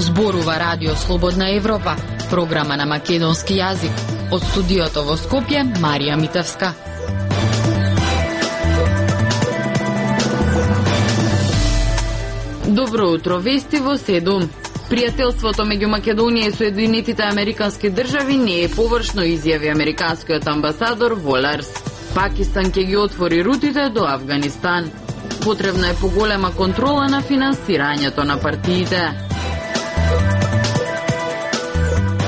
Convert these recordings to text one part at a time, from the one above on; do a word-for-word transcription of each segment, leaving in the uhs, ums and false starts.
Зборува Радио Слободна Европа, програма на македонски јазик. Од студиото во Скопје, Марија Митевска. Добро утро, вести во седум. Пријателството меѓу Македонија и Соединетите Американски држави не е површно, изјави американскиот амбасадор Волерс. Пакистан ќе ги отвори рутите до Авганистан. Потребна е поголема контрола на финансирањето на партиите.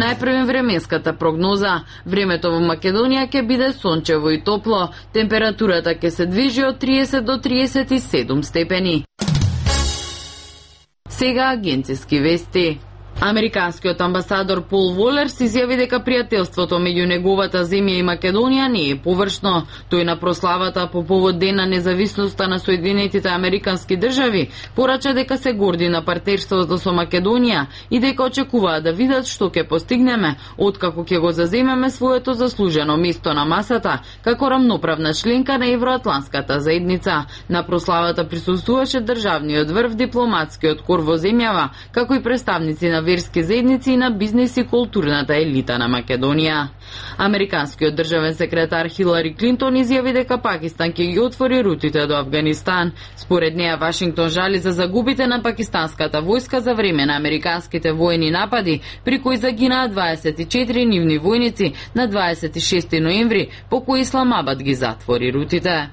Најпрвен временската прогноза. Времето во Македонија ќе биде сончево и топло. Температурата ќе се движи од триесет до триесет и седум степени. Сега агенциски вести. Американскиот амбасадор Пол Волерс изјави дека пријателството меѓу неговата земја и Македонија не е површно. Тој на прославата по повод Ден на независноста на Соединетите Американски држави порача дека се горди на партнерството со Македонија и дека очекуваат да видат што ќе постигнеме откако ќе го заземеме своето заслужено место на масата како рамноправна членка на Евроатланската заедница. На прославата присуствуваше државниот врв, дипломатскиот кор во земјава, како и представници на верски заедници и на бизнес и културната елита на Македонија. Американскиот државен секретар Хилари Клинтон изјави дека Пакистан ќе ги отвори рутите до Авганистан. Според неа, Вашингтон жали за загубите на пакистанската војска за време на американските воени напади, при кои загинаа дваесет и четири нивни војници на дваесет и шести ноември, по кои Исламабад ги затвори рутите.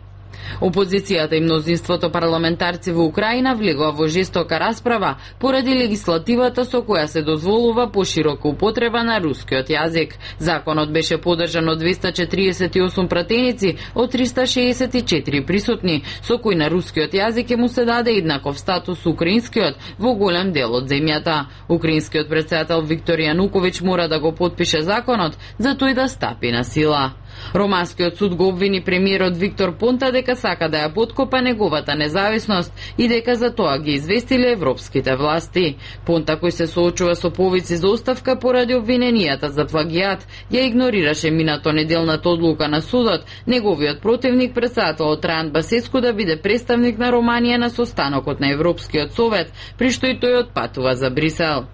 Опозицијата и мнозинството парламентарци во Украина влегува во жестока расправа поради легислативата со која се дозволува поширока употреба на рускиот јазик. Законот беше поддржан од двеста четириесет и осум пратеници од триста шеесет и четири присутни, со кој на рускиот јазик ќе му се даде еднаков статус украинскиот во голем дел од земјата. Украинскиот претседател Виктор Јануковиќ мора да го потпише законот за тој да стапи на сила. Романскиот суд го обвини премиерот Виктор Понта дека сака да ја поткопа неговата независност и дека за тоа ги известиле европските власти. Понта, кој се соочува со повици за оставка поради обвиненијата за плагијат, ја игнорираше минато неделната одлука на судот, неговиот противник претседателот Трајан Басеску да биде представник на Романија на состанокот на Европскиот совет, при што и тој отпатува за Брисел.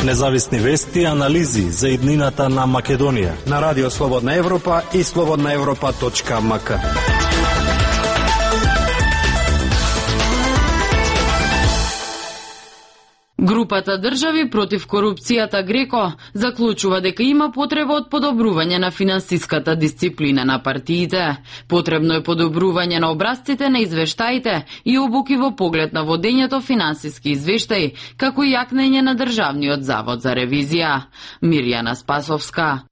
Независни вести и анализи за иднината на Македонија на Радио Слободна Европа и слободна европа точка ем ка. Групата држави против корупцијата Греко заклучува дека има потреба од подобрување на финансиската дисциплина на партиите. Потребно е подобрување на образците на извештаите и обуки во поглед на водењето финансиски извештаи, како и јакнење на Државниот завод за ревизија. Мирјана Спасовска.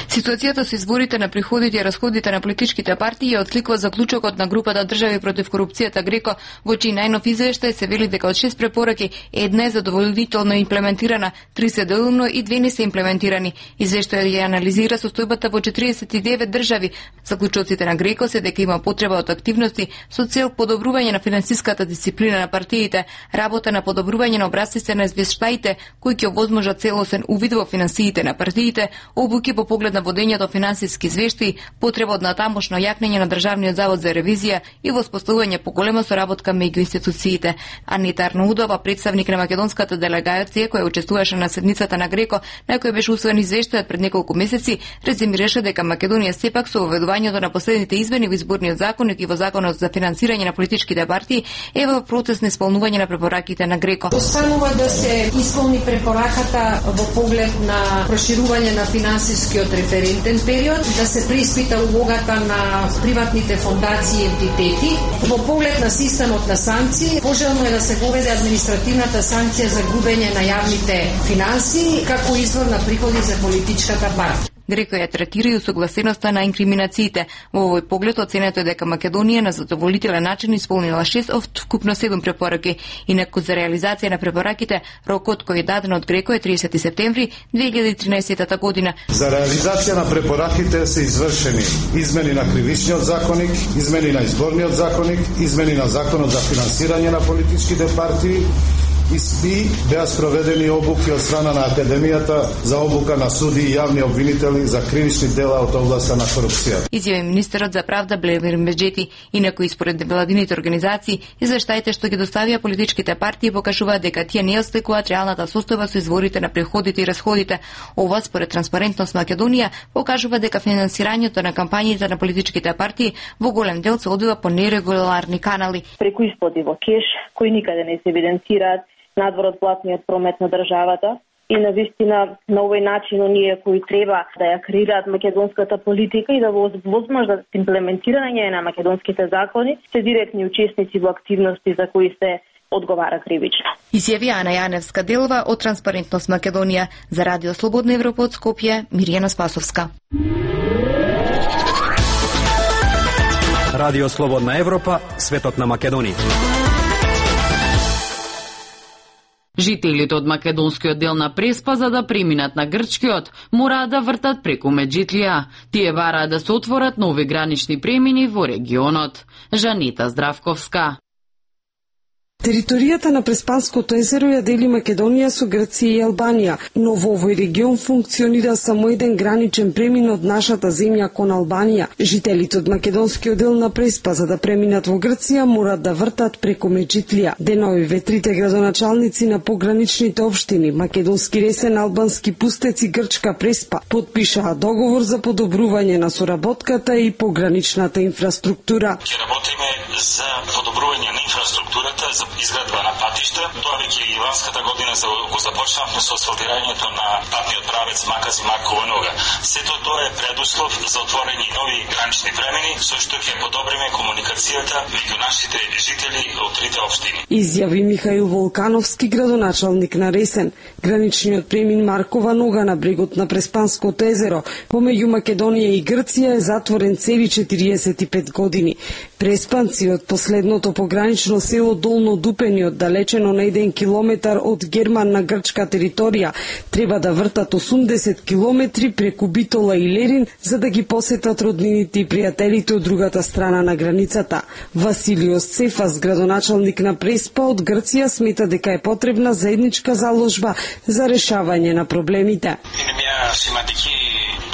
Ситуацијата со изборите на приходите и расходите на политичките партии ја откликува заклучокот на групата држави против корупцијата Греко, во чиј најнов извештај се вели дека од шест препораки една е задоволително имплементирана, три се делумно и две не се имплементирани. Извештајот ја анализира состојбата во четириесет и девет држави. Заклучоците на Греко се дека има потреба од активности со цел подобрување на финансиската дисциплина на партиите, работа на подобрување на образците на извештаите кои ќе овозможат целосен увид во финансиите на партиите, обуки по поглед на водењето финансиски извештаи, потреба од натамошно јакнење на Државниот завод за ревизија и воспоставување поголема соработка меѓу институциите. Анита Арнаудова, представник на македонската делегација која учествуваше на седницата на Греко, на која беше усвоен извештајот пред неколку месеци, резимираше дека Македонија сепак со воведувањето на последните измени во изборниот законник и во законот за финансирање на политичките партии е во процес на исполнување на препораките на Греко. Останува да се исполни препораката во поглед на проширување на финансискиот референтен период, да се преиспита улогата на приватните фондации и ентитети. Во поглед на системот на санкции, пожелно е да се воведе административната санкција за губење на јавните финанси како извор на приходи за политичката партија. Греко ја третира и усогласеноста на инкриминациите. Во овој поглед оценето е дека Македонија на задоволителен начин исполнила шест од вкупно седум препораки. Инаку за реализација на препораките, рокот кој е даден од Греко е тридесети септември две илјади и тринаесетта година. За реализација на препораките се извршени измени на кривичниот законник, измени на изборниот законник, измени на законот за финансирање на политичките партии, И беа спроведени обуки од страна на Академијата за обука на суди и јавни обвинители за кривични дела од областа на корупција. Изјави министерот за правда Блемир Меджети, инаку според невладините организации, извештаите што ги доставија политичките партии покажуваат дека тие не осликуваат реалната состојба со изворите на приходите и расходите. Ова според Транспарентност Македонија покажува дека финансирањето на кампањите на политичките партии во голем дел се одвива по нерегуларни канали. Преку исплати во кеш, кои никаде не се евиденцираат надвор од платниот промет на државата. И на вистина на овој начин оние кои треба да ја креираат македонската политика и да во возможност имплементирање на македонските закони се директни учесници во активности за кои се одговара кривично. Изјави Ана Јаневска Делова од Транспарентност Македонија за Радио Слободна Европа од Скопје, Мирјана Спасовска. Радио Слободна Европа, светот на Македонија. Жителите од македонскиот дел на Преспа за да преминат на грчкиот мораат да вртат преку Меджитлија. Тие бараат да се отворат нови гранични премини во регионот. Жанита Здравковска. Територијата на Преспанското езеро ја дели Македонија со Грција и Албанија, но во овој регион функционира само еден граничен премин од нашата земја кон Албанија. Жителите од македонскиот дел на Преспа за да преминат во Грција морат да вртат преку Меджитлија. Денови трите градоначалници на пограничните општини Македонски Ресен, Албански Пустец и Грчка Преспа потпишаа договор за подобрување на соработката и пограничната инфраструктура. Ќе работиме за подобрување на инфраструктурата, за изградба на патишта. Тоа веќе и ланската година за го започнавме со асфалтирањето на патниот правец Макази Маркова нога. Сето тоа е предуслов за отворање нови гранични премини, со што ќе подобриме комуникацијата меѓу нашите жители од трите општини. Изјави Михаил Волкановски, градоначалник на Ресен. Граничниот премин Маркова нога на брегот на Преспанското езеро помеѓу Македонија и Грција е затворен цели четириесет и пет години. Преспанци од последното погранично село Долно Дупени, оддалечено на еден километар од Герман на грчка територија, треба да вртат осумдесет километри преку Битола и Лерин за да ги посетат роднините и пријателите од другата страна на границата. Василиос Цефас, градоначалник на Преспа од Грција, смета дека е потребна заедничка заложба за решавање на проблемите.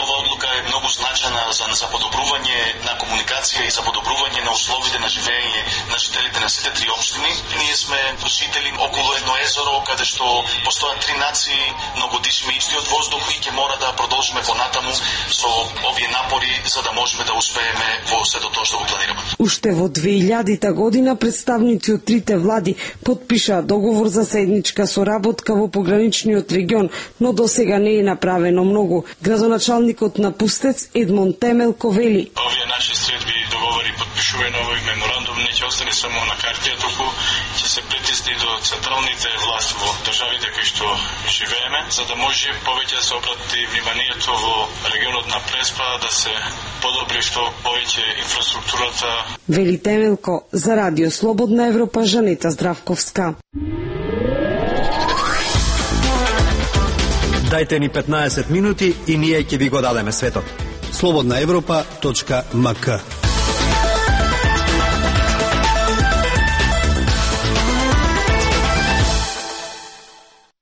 Ова одлука е многу значена за, за подобрување на комуникација и за подобрување на условите на живење на жителите на сите три општини. Ние сме жители околу едно езеро, каде што постојат три нации, но го дишиме истиот воздух и ќе мора да продолжиме понатаму со овие напори за да можеме да успееме во сето тоа што го планираме. Уште во две илјадита година представници од трите влади потпишаа договор за заедничка соработка во пограничниот регион, но досега не е направено многу. Градоначалникот на Пустец Едмон Темелко вели: Овие наши средби договори подпишување на овој меморандум не ќе остане само на картија, туку ќе се притисне до централните власти во државите кои што живееме, за да може повеќе да се обрати вниманието во регионот на Преспа, да се подобри што повеќе инфраструктурата. Вели Темелко за Радио Слободна Европа, Жанета Здравковска. Дајте ни петнаесет минути и ние ќе ви го дадеме светот. слободна европа точка ем ка.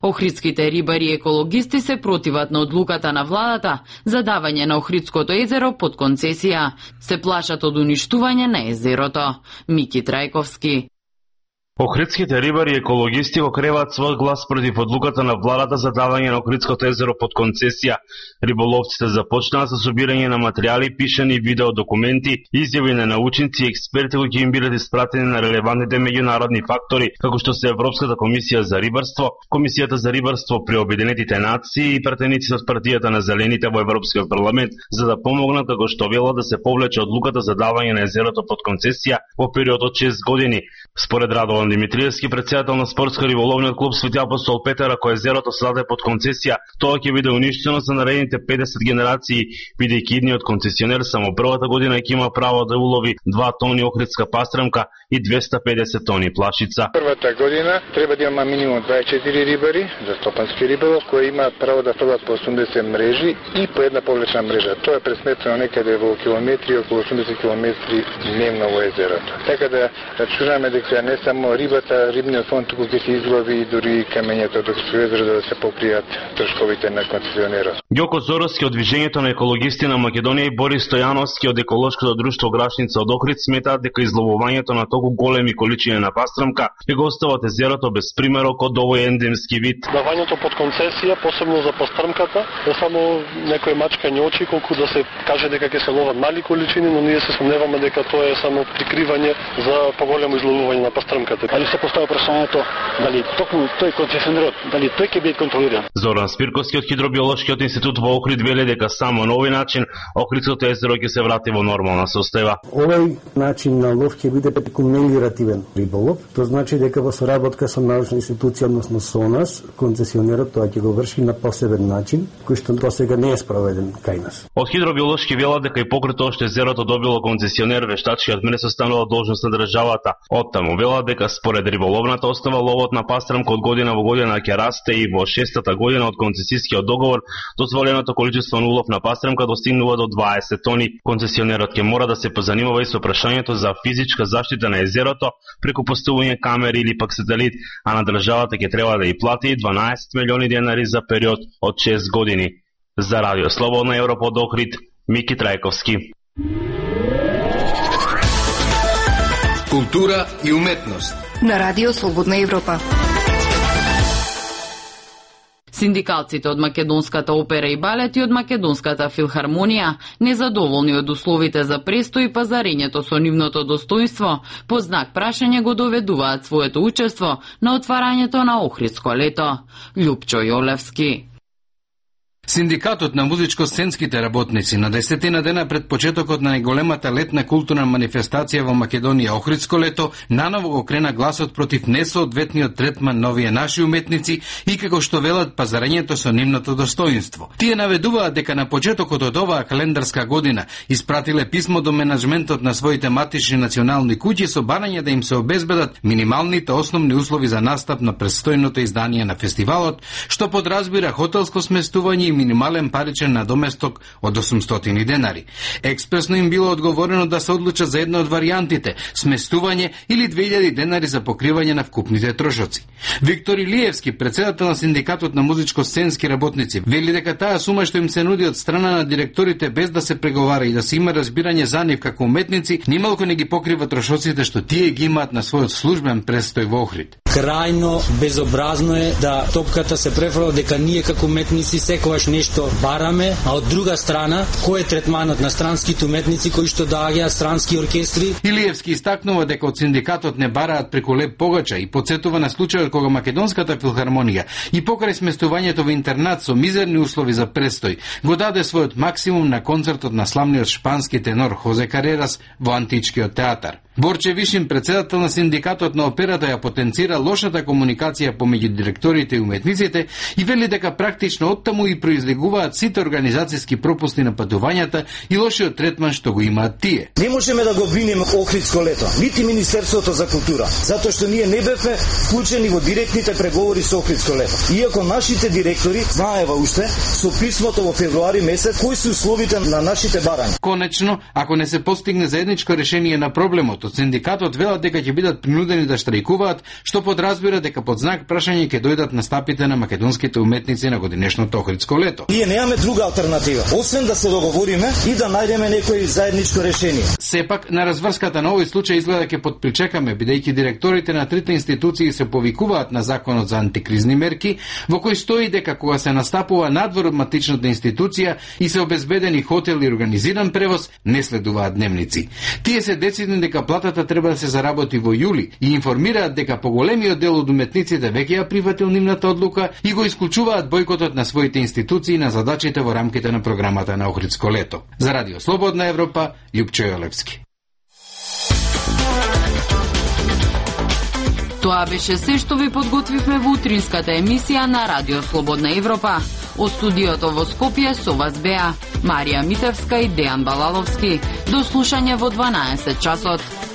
Охридските рибари и екологисти се противат на одлуката на владата за давање на Охридското езеро под концесија. Се плашат од уништување на езерото. Мики Трајковски. Охридските рибари и екологисти го креваат свој глас против одлуката на владата за давање на Охридското езеро под концесија. Риболовците започнаа со собирање на материјали, пишани видео документи, изјави на научници и експерти кои ќе им бидат испратени на релевантните меѓународни фактори, како што се Европската комисија за рибарство, Комисијата за рибарство при Обединетите нации и пратеници од партијата на Зелените во Европскиот парламент, за да помогнат, како што велат, да се повлече одлуката за давање на езерото под концесија во период од шест години. Според Радован Димитриевски, председател на спортско-риболовниот клуб Свети апостол Петар, ако езерото се даде под концесија, тоа ќе биде уништено за наредните педесет генерации, бидејќи идниот концесионер само првата година ќе има право да улови два тони охридска пастрамка и двесте и педесет тони плашица. Првата година треба да има минимум дваесет и четири рибари за стопански риболов, кои имаат право да фрлат по осумдесет мрежи и по една повлечна мрежа. Тоа е пресметено некаде во километри, околу осумдесет километри дневно во езерото. Така да рачунаме дека не само рибата, рибниот фонд туку ќе се излови и дури камењето од Охридско езеро да се покријат трошковите на концесионерот. Ѓоко Зоровски од Движењето на екологисти на Македонија и Борис Стојановски од Еколошкото друштво Грашница од Охрид сметаат дека изловувањето на толку големи количини на пастрмка ќе го остават езерото без примерок од овој ендемски вид. Давањето под концесија, посебно за пастрмката, е само некој мачкање очи, колку да се каже дека ќе се ловат мали количини, но ние се сомневаме дека тоа е само прикривање за поголемо изловување на пастрмката. Али се поставува прашањето дали токму тој концесионерот, дали тој ќе биде контролиран. Зоран Спирковски од Хидробиолошкиот институт во Охрид вели дека само на овој начин Охридското езеро ќе се врати во нормална состојба. Овој начин на лов ќе биде мелиоративен риболов, тоа значи дека во соработка со научна институција, односно со нас, концесионерот тоа ќе го врши на посебен начин, кој што до сега не е спроведен кај нас. Од Хидробиолошки велат дека и покрај тоа што езерото добило концесионер, вештачкиот мене состанува должност на државата. Оттаму велат дека според риболовната остава ловот на пастрмка од година во година ќе расте и во шестата година од концесискиот договор дозволеното количество на улов на пастрмка достигнува до дваесет тони. Концесионерот ќе мора да се позанимава и со прашањето за физичка заштита на езерото преку поставување камери или пак сателит, а на државата ќе треба да и плати дванаесет милиони денари за период од шест години. За Радио Слободна Европа од Охрид, Мики Трајковски. Култура и уметност на Радио Слободна Европа. Синдикалците од Македонската опера и балет и од Македонската филхармонија, незадоволни од условите за престој и пазарењето со нивното достоинство, по знак прашање го доведуваат своето учество на отварањето на Охридско лето. Љупчо Јолевски. Синдикатот на музичко-сценските работници на десетина дена пред почетокот на најголемата летна културна манифестација во Македонија Охридско лето наново го крена гласот против несоодветниот третман на овие наши уметници и како што велат пазарењето со нивното достоинство. Тие наведуваат дека на почетокот од оваа календарска година испратиле писмо до менаџментот на своите матични национални куќи со барање да им се обезбедат минималните основни услови за настап на престојното издание на фестивалот, што подразбира хотелско сместување и минимален паричен надоместок од осумстотини денари. Експресно им било одговорено да се одлучат за една од варијантите – сместување или две илјади денари за покривање на вкупните трошоци. Виктор Илиевски, председател на Синдикатот на музичко-сценски работници, вели дека таа сума што им се нуди од страна на директорите без да се преговара и да се има разбирање за нив како уметници, нималку не ги покрива трошоците што тие ги имаат на својот службен престој во Охрид. Крајно безобразно е да топката се префрла дека ние како уметници секогаш нешто бараме, а од друга страна, кој е третманот на странските уметници кои што доаѓаат странски оркестри? Илиевски истакнува дека од синдикатот не бараат преку леп погача и потсетува на случајот кога Македонската филхармонија и покрај сместувањето во интернат со мизерни услови за престој го даде својот максимум на концертот на славниот шпански тенор Хозе Карерас во Античкиот театар. Борче Вишин, председател на Синдикатот на операта, ја потенцира лошата комуникација помеѓу директорите и уметниците и вели дека практично оттаму и произлегуваат сите организацијски пропусти на патувањата и лошиот третман што го имаат тие. Не можеме да го обвинеме Охридско лето, нити Министерството за култура, затоа што ние не бевме вклучени во директните преговори со Охридско лето. Иако нашите директори знаева уште со писмото во февруари месец кои се условите на нашите барања. Конечно, ако не се постигне заедничко решение на проблемот, од синдикатот велат дека ќе бидат принудени да штрајкуваат, што подразбира дека под знак прашање ќе дојдат настапите на македонските уметници на годинешното Охридско лето. Ние немаме друга алтернатива, освен да се договориме и да најдеме некој заедничко решение. Сепак на разврската на овој случај изгледа ќе подпричекаме, бидејќи директорите на трите институции се повикуваат на законот за антикризни мерки, во кој стои дека кога се настапува надвор од матичната институција и се обезбедени хотел и организиран превоз, не следуваат дневници. Тие се децидни дека платата треба да се заработи во јули и информираат дека поголемиот дел од уметниците веќе ја прифатил нивната одлука и го исклучуваат бојкотот на своите институции на задачите во рамките на програмата на Охридско лето. За Радио Слободна Европа, Љупчо Јолевски. Тоа беше се што ви подготвивме во утринската емисија на Радио Слободна Европа. Од студиото во Скопје со вас беа Марија Митевска и Дејан Балаловски. До слушање во дванаесет часот.